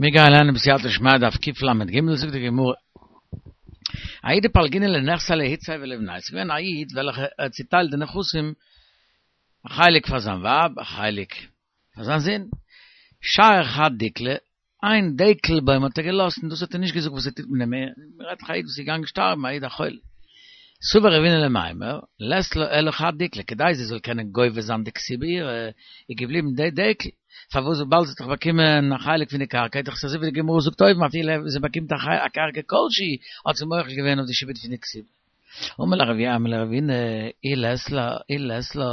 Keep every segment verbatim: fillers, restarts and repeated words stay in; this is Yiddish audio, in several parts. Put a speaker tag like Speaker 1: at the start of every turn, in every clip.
Speaker 1: מיר גייען לערנען בסייעתא דשמיא דף קל"ג, זאגט די גמרא, ההוא דפלגינהו לנכסיה לאיתתיה ולבניה, ס'איז געווען א איד וועלכע האט צוטיילט די נכסים, א חלק פאר זיין ווייב, א חלק פאר זיין זון, שייר חד דיקלא, איין דעקל בוים האט ער געלאזט און דאס האט ער נישט געזאגט וואס ער טוט מיט דעם, מ'רעדט דאך א איד וואס איז געגאנגען שטארבן, א איד א חולה. סבר רבינא למימר, לית לה אלא חד דיקלא, כדי זי זאל קענען גובה זיין די כתובה אירע, איז געבליבן די דעקל, פארוואס וויבאלד זי האט דאך באקומען א חלק פון די קרקע, איז דאך עס אזוי ווי די גמרא זאגט אויבן אפילו זי באקומט א קרקע כלשהי, האט זי מוחל געווען אויף די שעבוד פון די כתובה. אמר ליה רב אמי לרבינא, אי לית לה, אי לית לה,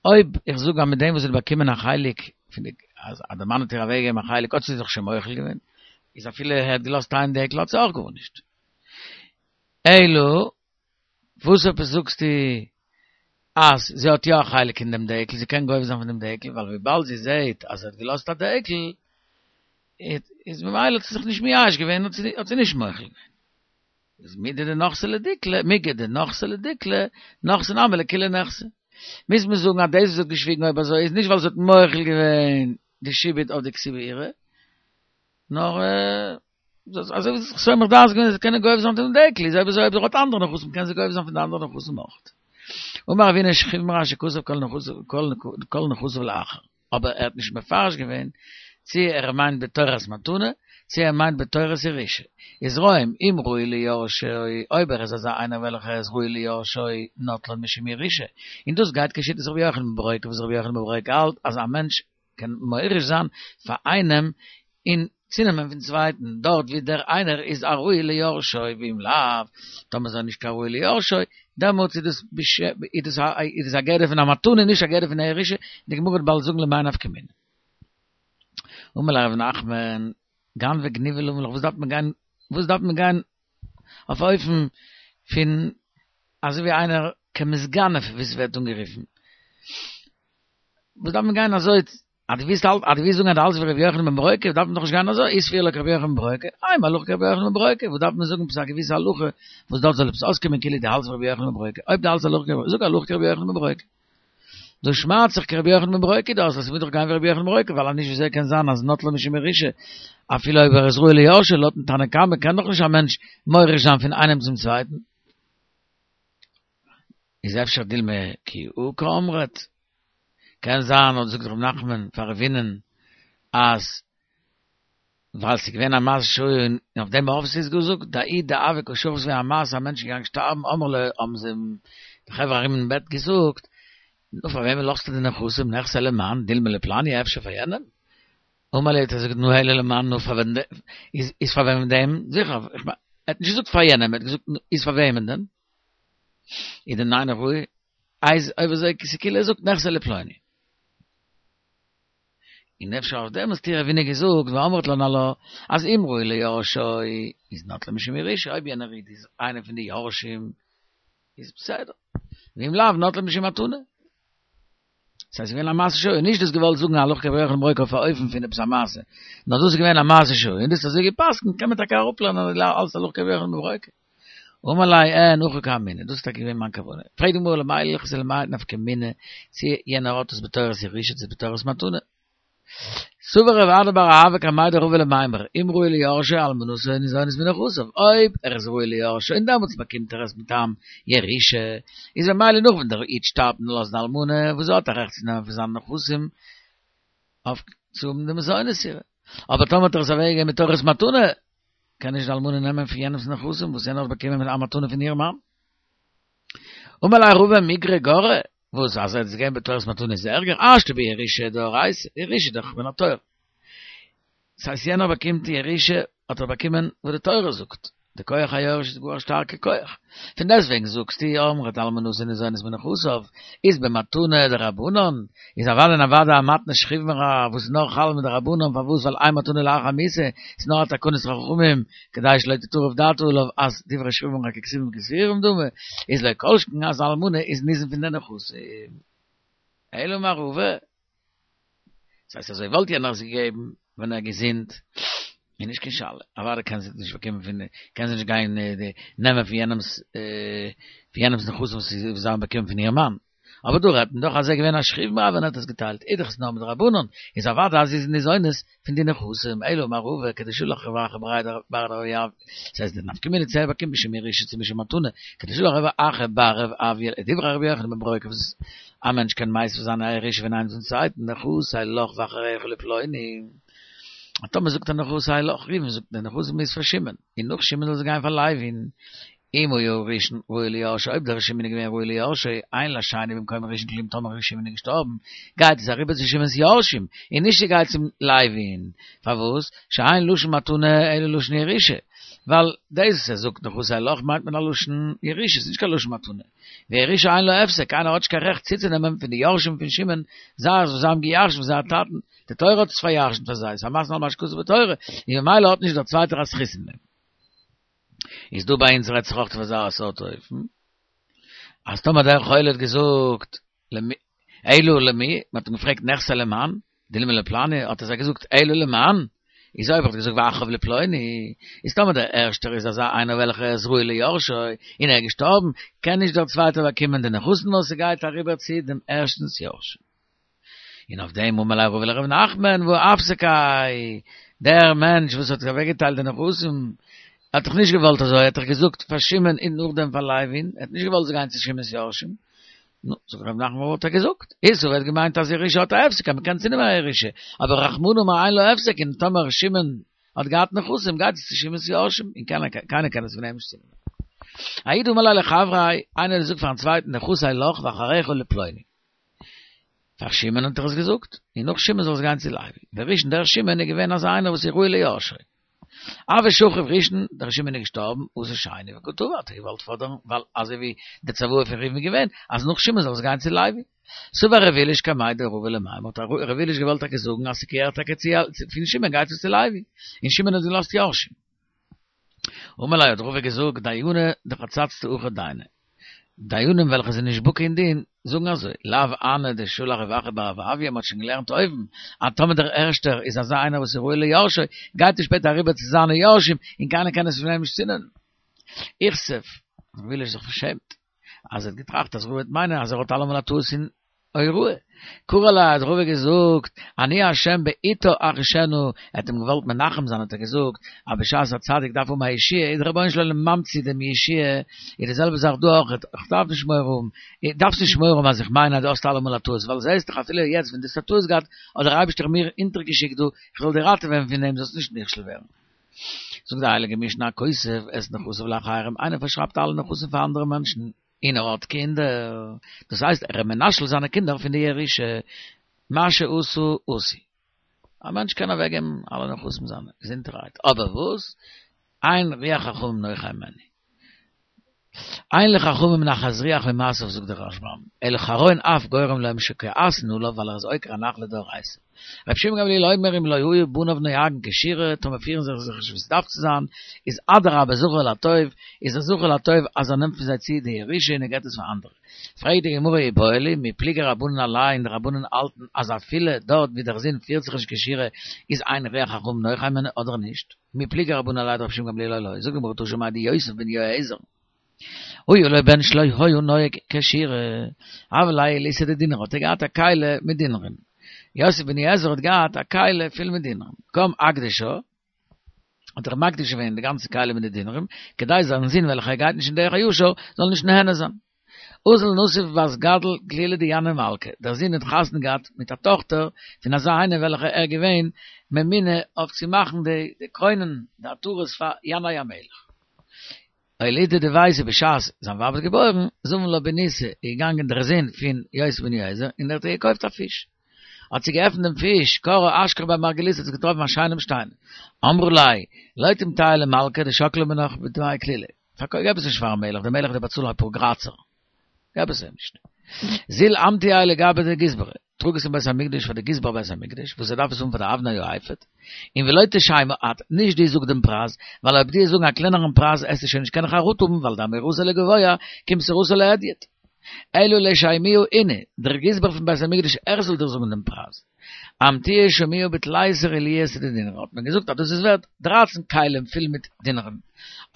Speaker 1: אויב איך זאג אז מיט דעם וואס זי האט באקומען א חלק פון די, אז די מאן האט איר אוועקגעגעבן א חלק האט זי זיך שוין מוחל געווען, איז אפילו ער האט געלאזט איין דעקל האט זי אויך גארנישט. אלא וואס עפעס זאגסטו אז זי האט יא א חלק אין דעם דעקל, זי קען גובה זיין פון דעם דעקל, ווייל וויבאלד זי זעט אז ער האט געלאזט א דעקל, איז ממילא האט זי זיך נישט מייאש געווען, האט זי נישט מוחל געווען. איז מידי דנחתי לדיקלא, מיגו דנחתי לדיקלא, נחתי נמי לכולהו נכסי. מוז מען זאגן אז דאס וואס זי האט געשוויגן אויב אזוי איז נישט ווייל זי האט מוחל געווען די שעבוד אויף די כתובה אירע, נאר אזוי ווי זי האט זיך סומך דעת געווען אז זי קען גובה זיין פון דעם דעקל, איז אויב אזוי אויב זי האט אנדערע נכסים קען זי גובה זיין פון די אנדערע נכסים אויך. אמר רבינא שכיב מרע שכתב כל נכסיו לאחר, אבער ער האט נישט מפרש געווען צי ער מיינט בתורת מתנה צי ער מיינט בתורת ירושה. איז רואים אם ראוי ליורשו, אויב ער איז אזא איינער וועלכער איז ראוי ליורשו נוטלן משום ירושה, און דאס גייט כשיטת רבי יוחנן בן ברוקה וואס רבי יוחנן בן ברוקה האלט אז א מענטש קען מוריש זיין פאר איינעם און צונעמען פון צווייטן, דארט ווי דער איינער איז א ראוי ליורשו, ואם לאו, טאמער איז ער נישט קיין ראוי ליורשו, דעמאלטס איז דאס איז דאס א גדר פון א מתנה נישט א גדר פון א ירושה, די גמרא וועט באלד זאגן למאי נפקא מינה. אמר ליה רב נחמן, גנבא גניבא למה לך, וואס דארף מען גיין, וואס דארף מען גיין אויף א אופן פון אזוי ווי איינער כמתגנב ווי ס'ווערט אנגערופן, וואס דארף מען גיין אזוי, אז דו ווילסט האלטן, אז דו ווילסט זאגן אז דו האלטסט ווי רבי יוחנן בן ברוקה, דארף מען דאך נישט גיין אזוי, אי סבירא ליה כרבי יוחנן בן ברוקה, אימא הלכה כרבי יוחנן בן ברוקה, וואס דארף מען זאגן עפעס א געוויסע הלכה וואס דארט זאל עפעס אויסקומען כאילו דו האלטסט ווי רבי יוחנן בן ברוקה, אויב דו האלטסט הלכה כרבי, זאג הלכה כרבי יוחנן בן ברוקה. דא שמעט זיך כרבי יוחנן בן ברוקה דאס, אז ס'מוז דאך גיין ווי רבי יוחנן בן ברוקה, ווייל אז נישט וויאזוי קען זיין אז נוטלן משום ירושה, אפילו אויב ער איז ראוי ליורשו, לויטן תנא קמא קען דאך נישט א מענטש מוריש זיין פון איינעם צום צווייטן. איז אפשר דילמא כי הא קאמרת, קען זיין האט זאגט ר' נחמן פאר רבינ'ען אז ווייל ס'איז געווען א מעשה שהיה און אויף דעם האב זי עס געזאגט דההוא דהוה קא שכיב ס'איז געווען א מעשה א מענטש איז געגאנגען שטארבן אמרו ליה האבן זיי אים די חברה ארום אין בעט געזאגט נו פאר וועמען לאזטו די נכסים נכסי למאן דילמא לפלני אפשר פאר יענעם אמר להו האט ער געזאגט נו אלא למאן נו פאר וועם איז איז פאר וועמען דעם זיכער איך מיין ער האט נישט געזאגט פאר יענעם ער האט געזאגט איז פאר וועמען דען איז די ניין ראוי איז אויב אזוי כאילו ער זאגט נכסי לפלוני. און אפשר אויף דעם האסטו רבינא געזאגט ואמרת לן עלה אז אם ראוי ליורשו איז נוטלן משום ירושה אויב יענער איד איז איינער פון די יורשים איז בסדר ואם לאו נוטלן משום מתנה. ס'הייסט ס'איז געווען א מעשה שהיה, נישט דאס געוואלט זאגן הלכה כרבי יוחנן בן ברוקה אויף א אופן פון עפעס א מעשה, נאר דאס איז געווען א מעשה שהיה און דאס איז אזוי גע'פסק'נט קען מען טאקע אראפלערנען אלס הלכה כרבי יוחנן בן ברוקה. אמר ליה אין הכי קאמינא, דאס איז טאקע געווען מיין כוונה. פרעגט די גמרא למאי הלכתא למאי נפקא מינה, צו יענער האט עס בתורת ירושה צו בתורת מתנה. סבר רב אדא בר אהבה קמיה דרבא למימר, אם ראוי ליורשו אלמנתו ניזונית מנכסיו, אויב ער איז ראוי ליורשו און דעמאלטס באקומט ער עס מטעם ירושה, איז ממילא נאך ווען דער איד שטארבט און לאזט די אלמנה וואס זי האט א רעכט צו נעמען פון זיינע נכסים אויף צו האבן די מזונות אירע. אבער טאמער האט ער עס אוועקגעגעבן בתורת מתנה, קען נישט די אלמנה נעמען פון יענעמ'ס נכסים וואס יענער האט באקומען מיט א מתנה פון איר מאן. אמר ליה רבא מיגרא גרע, וואס אז ער האט עס געגעבן בתורת מתנה איז ערגער, השתא בירושה דאורייתא, ירושה איז דאך מן התורה. דאס הייסט יענער באקומט די ירושה האט ער באקומען וואס די תורה זאגט, די כח היורש איז גאר א שטארקע כח, פון דעסטוועגן זאגסטו אמרת אלמנתו ניזונית מנכסיו, איז במתנה דרבנן, איז אוודאי און אוודאי א מתנה שכיב מרע וואס איז נאר חל מדרבנן פארוואס ווייל אין מתנה לאחר מיתה איז נאר א תקנת חכמים כדי שלא תטרף דעתו עליו אז דברי שכיב מרע ככתובים כסגורים דמו איז לא כל שכן אז אלמנה איז ניזון פון די נכסים. אלא אמר רבא. דאס הייסט אזוי וואלט יענער עס געגעבן ווען ער געזונט איז נישט קיין שאלה, אוודאי קען זי נישט באקומען פון קען זי נישט גיין נעמען פון יענעמס פון יענעמס נכסים וואס זיי האבן באקומען פון איר מאן, אבער דא רעדט מען דאך אז ער געווען א שכיב מרע ווען ער האט עס געטיילט, איז דאך עס נאר מדרבנן, איז אוודאי אז זי איז ניזונת פון די נכסים, אלא אמר רבא כדשלח רב אחא בריה בר רב אויא, ס'הייסט די נפקא מינה צו ער באקומט משום ירושה צו משום מתנה, כדשלח רב אחא בר רב אויא לדברי רבי יוחנן בן ברוקה וואס א מענטש קען מוסיף זיין א ירושה פון איינעם צום צווייטן, נכסי לך ואחריך לפלוני. טאמער זאגט ער נכסי לך, ראובן זאגט די נכסים איז פאר שמעון, און נאך שמעון זאל זיי גיין פאר לוי'ן. אם היה הראשון ראוי ליורשו, אויב דער שמעון איז געווען ראוי ליורשו, אין לשני במקום הראשון כלום טאמער שמעון איז געשטארבן, גייט עס אריבער צו שמעון'ס יורשים, און נישט ס'גייט צום לוי'ן. פארוואס? שאין לשון מתנה אלא לשון ירושה. ווייל דאס וואס ער זאגט נכסי לך מיינט מען א לשון ירושה, ס'איז נישט קיין לשון מתנה. וירושה אין לה הפסק, קיינער האט נישט קיין רעכט צוצונעמען פון די יורשים פון שמעון זאכן וואס זיי האבן געירש'נט פון זייער טאטן, די תורה האט עס פארירש'נט פאר זיי, ס'איז א מתנה על מה שכתוב בתורה, און ממילא האט נישט דער צווייטער א זכות אין דעם. איז דא ביי אונז רעדט זיך אויך אויף אזא סארט אופן, אז טאמער דער חולה האט געזאגט למי, אלו למי, מען האט אים געפרעגט נכסי למאן, דילמא לפלני, האט ער זיי געזאגט אלו למאן, איז אויב ער האט געזאגט ואחריו לפלוני, איז טאמער דער ערשטער איז אזא איינער וועלכער איז ראוי ליורשו, און ער איז געשטארבן, קען נישט דער צווייטער באקומען די נכסים נאר ס'גייט אריבער צו דעם ערשטנ'ס יורשים. און אויף דעם אמר ליה רבא לרב נחמן והא אפסקיה, דער מענטש וואס האט אוועקגעטיילט די נכסים האט דאך נישט געוואלט אזוי, ער האט דאך געזאגט פאר שמעון און נאכדעם פאר לוי'ן, ער האט נישט געוואלט זיי גיין צו שמעון'ס יורשים, נו, זאגט רב נחמן וואלט ער געזאגט, איז ער האט געמיינט אז ירושה האט א הפסק אז מ'קען צונעמען א ירושה, אבער רחמנא אמר אין לה הפסק און טאמער שמעון האט געהאט נכסים גייט עס צו שמעון'ס יורשים און קיינער קען עס פון אים נישט צונעמען. ההוא דאמר ליה לחבריה, איינער האט געזאגט פארן צווייטן נכסי לך ואחריך לפלוני. פאר שמעון האט ער עס געזאגט, און נאך שמעון זאל עס גיין צו לוי. דער ראשון דער שמעון איז געווען אזא איינער וואס איז ראוי ליורשו. הוה שכיב ראשון, דער שמעון איז געשטארבן, אתא שני וקא תבע, האט ער געוואלט פאדערן, ווייל אזוי ווי די צוואה פון ראובן איז געווען, אז נאך שמעון זאל עס גיין צו לוי. סבר ר' עיליש קמיה דרבא למימר, האט ר' עיליש געוואלט טאקע זאגן אז ס'געהערט טאקע צו, פון שמעון גייט עס צו לוי, און שמעון האט געלאזט יורשים. אמר ליה האט רבא געזאגט, דייני דחצצתא הכי דייני. דיינים וועלכע זענען נישט בקי אין דין, זאגן אזוי, לאו הני דשלח רב אחא בר רב אויא, מ'האט שוין געלערנט אויבן, אז טאמער דער ערשטער איז אזא איינער וואס איז ראוי ליורשו, גייט עס שפעטער אריבער צו זיינע יורשים, און קיינער קען עס פון אים נישט צונעמען. איכסיף, ר' עיליש זיך פארשעמט, אז ער האט געטראכט אז רבא וועט מיינען אז ער האט אלעמאל א טעות אין הוראה. קרי עליה האט רבא געזאגט, אני השם בעתה אחישנה, ער האט אים געוואלט מנחם זיין האט ער געזאגט, אז בשעת א צדיק דארף האבן א ישועה איז דער רבונו של עולם ממציא דעם ישועה, איז די זעלבע זאך דא אויך, איך דארף נישט מורא האבן, דארפסט נישט מורא האבן אז איך מיין אז דו האסט אלעמאל א טעות, ווייל זעסט דאך אפילו יעצט ווען דו האסט א טעות געהאט, האט דער אייבערשטער מיר אונטערגעשיקט דא, איך זאל דיר ראטעווען פון דעם זאלסט נישט נכשל ווערן. זאגט די הייליגע משנה הכותב את נכסיו לאחרים, איינער פארשרייבט אלע נכסים פאר אנדערע מענטשן, און ער האט קינדער, דאס הייסט ער איז מנשל זיינע קינדער פון די ירושה, מה שעשה עשוי. א מענטש קען אוועק געבן אלע נכסים זיינע, געזונטערהייט, אבער וואס? אין רוח חכמים נוחה הימנו. אין לחכמים נחת רוח ממעשיו זאגט דער רשב"ם, אלא חרון אף גורם להם שכועסין עליו ווייל ער איז עוקר הנחלה דאורייתא. רבי שמעון גמליאל אומר אם לא היו בניו נוהגין כשורה, טאמער פירן זיי זיך נישט ווי ס'דארף צו זיין, איז אדרבה זכור לטוב, איז ער זכור לטוב אז ער נעמט פון זיי צו די ירושה און ער געבט עס פאר אנדערע. פרעגט די גמרא איבעיא להו, מי פליגי רבנן עליה און די רבנן האלטן אז אפילו דארט ווי דער זון פירט זיך נישט כשורה איז אין רוח חכמים נוחה הימנו אדער נישט? מי פליגי רבנן עליה דרבי שמעון גמליאל או לא? זאגט די גמרא תא שמע דיוסף בן יועזר. היה לו בן שלא היה נוהג כשורה, הוה ליה עילתא דדינרי, האט ער געהאט א כלי מיט דינרים. יוסף בן יועזר האט געהאט א כלי פול מיט דינרים. קם אקדשה, האט ער מקדיש געווען די גאנצע כלי מיט די דינרים, כדי זיין זון וועלכער גייט נישט אין דרך הישר, זאל נישט נהנה זיין. אזל נסיב בת גדל כלילא דינאי מלכא, דער זון האט חתונה געהאט מיט א טאכטער פון אזא איינער וועלכער ער געווען ממונה אויף צו מאכן די קרוינען, די עטרות פאר ינאי המלך. אולידא דביתהו בשעת זיין ווייב האט געבוירן, זבן לה בניתא איז געגאנגען דער זון פון יוסף בן יועזר און ער האט איר געקויפט א פיש. האט זי געעפנט דעם פיש, קראה אשכחה בי מרגליתא האט זי געטראפן א שיינעם שטיין. אמרה ליה, לא תמטעיה למלכא דשקלי מינך בדמי כלילא. פארקויף געב עס נישט פארן מלך, דער מלך וועט באצאלן אפאר גראצער. געב עס אים נישט. זיל אמטייה לגבי דגזברא, טראג עס אין בית המקדש פאר די גזבר בית המקדש, וואס ער דארף עס האבן פאר די אבני האפוד, און ולא תשיימא את, נישט דו זאג דעם פרייז, ווייל אויב דו זאגן א קלענערן פרייז עסטו שוין נישט קענען חרטה האבן, ווייל דאמירתה לגבוה, כמסירתה להדיוט. אלא לישיימיהו אינהו, דער גזבר פון בית המקדש ער זאל דיר זאגן דעם פרייז. אמטוה שמוה בתליסר עילויתא דדינרי, האט מען געזאגט אז דאס איז ווערט דרײַצן כלים פול מיט דינרים.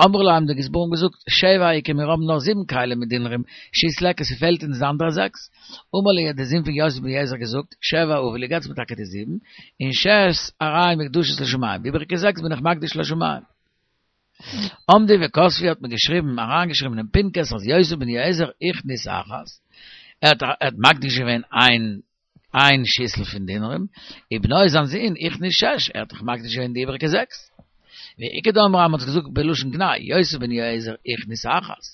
Speaker 1: אמרו ליה האבן די גזברים געזאגט, שבע איכא מיר האבן נאר זיבן כלים מיט דינרים, שית ליכא ס'פעלט אונז די אנדערע זעקס. אמר להו האט דער זון פון יוסף בן יועזר געזאגט, שבע הבו לי געטס מיר טאקע די זיבן, און שש הרי מוקדשות לשמים, די איבעריגע זעקס בין איך מקדיש לשמים. עמדו וכתבו האט מען געשריבן, אריינגעשריבן אין פנקס אז יוסף בן יועזר הכניס אחת, ער האט מקדיש געווען איין איין שיסל פון דינרים, ובנו זיין זון הכניס שש, ער האט דאך מקדיש געווען די איבעריגע זעקס. ואיכא דאמרי מ'האט געזאגט בלשון גנאי, יוסף בן יועזר הכניס אחת,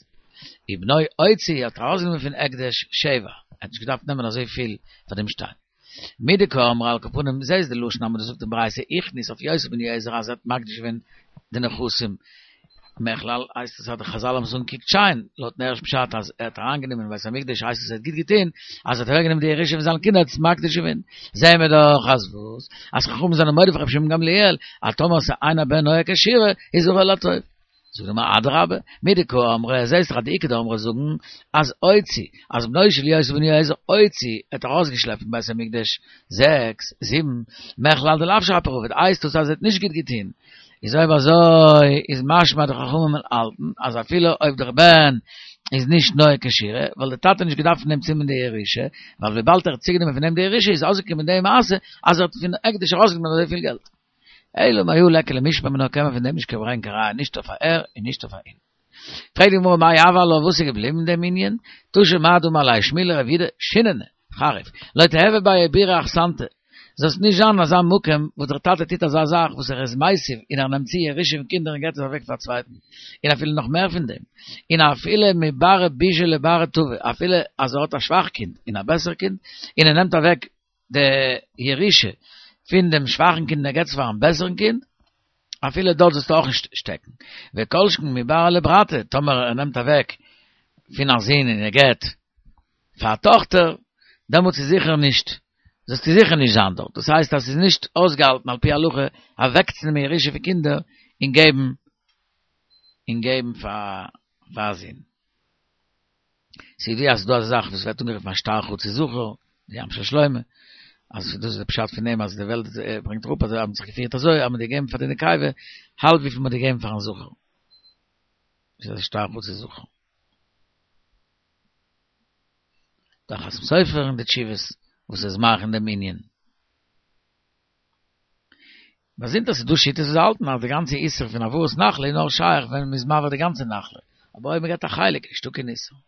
Speaker 1: ובנו הוציא האט ארויסגענומען פון הקדש שבע, ער האט נישט געדארפט נעמען אזויפיל פאר דעם שטיין. מדקאמרי על כל פנים זעהסט די לשון אז מען זאגט אין ברייתא הכניס אויף יוסף בן יועזר אז ער האט מקדיש געווען די נכסים מכלל הייסט עס אז די חזל האבן עס אנגעקוקט שיין לויטן ערשטן פשט אז ער האט אריינגענומען אין בית המקדש הייסט עס ער האט גוט געטון אז ער האט אוועקגענומען די ירושה פון זיינע קינדער האט עס מקדיש געווען זעהן מיר דאך אז וואס אז חכמים זענען מודה פאר רבי שמעון גמליאל אז טאמער ס'איז אין הבן נוהג כשורה איז הרע לטוב. זאגט די גמרא אדרבה, מדקאמרי, זעהסט דאך אז די איכא דאמרי זאגן אז הוציא, אז בנו של יוסף בן יועזר הוציא, ער האט ארויסגעשלעפט פון בית המקדש זעקס, זיבן, מכלל דלאו שפיר עביד, הייסט דאס אז ער האט נישט גוט געטון, איז אויב אזוי איז משמע די חכמים האלטן אז אפילו אויב דער בן איז נישט נוהג כשורה, וואלט דער טאטע נישט געדארפט פון אים צונעמען די ירושה, ווייל וויבאלד ער האט צוגענומען פון אים די ירושה איז אויסגעקומען די מעשה אז ער האט פון הקדש ארויסגענומען אזויפיל געלט. אלא מהא ליכא למשמע מינה קען מען פון דעם נישט קיין ברענגען קיין ראיה נישט אויף אהער און נישט אויף אהין. פרעגט די גמרא מאי הוי עלה וואס איז געבליבן אין דעם ענין? תא שמע דאמר ליה שמואל לרב יהודה שיננא, חריף, לא תיהוי ביה בירא אחסנתא, זאלסט נישט זיין אין אזא מקום וואס דער טאטע טוט אזא זאך וואס ער איז מוסיף און ער נעמט צו ירושה פון קינדער און געבט עס אוועק פאר א צווייטן, און אפילו נאך מער פון דעם, און אפילו מברא בישא לברא טבא, אפילו אז ער האט א שוואך קינד און א בעסער קינד, און ער נעמט אוועק די ירושה פון דעם שוואכן קינד און ער געבט עס פארן בעסערן קינד, אפילו דארט זאלסטו אויך נישט שטעקן. וכל שכן מברא לברתא, טאמער ער נעמט אוועק פון א זון און ער געבט פאר א טאכטער, דעמאלטס איז זיכער נישט, זאלסטו זיכער נישט זיין דארט. דאס הייסט אז ס'איז נישט אויסגעהאלטן על פי הלכה אוועקצונעמען ירושה פון קינדער און געבן און געבן פאר א זון. ס'איז ידוע אז ס'איז דא אזא זאך וואס ווערט אנגערופן א שטר חצי זכר, די ים של שלמה, אז דאס איז די פשט פון דעם אז די וועלט ברענגט אראפ אז זיי האבן זיך געפירט אזוי אז מ'האט געגעבן פאר די נקבה האלב וויפיל מ'האט געגעבן פארן זכר. דאס איז א שטר חצי זכר. דער חתם סופר אין די תשובות וואס איז מאריך אין דעם ענין. באזונדער ס'איז דא שיטות וואס האלטן אז די גאנצע איסור פון העברת נחלה איז נאר שייך ווען מ'איז מעביר די גאנצע נחלה, אבער אויב מ'געט א חלק איז נישטא קיין איסור.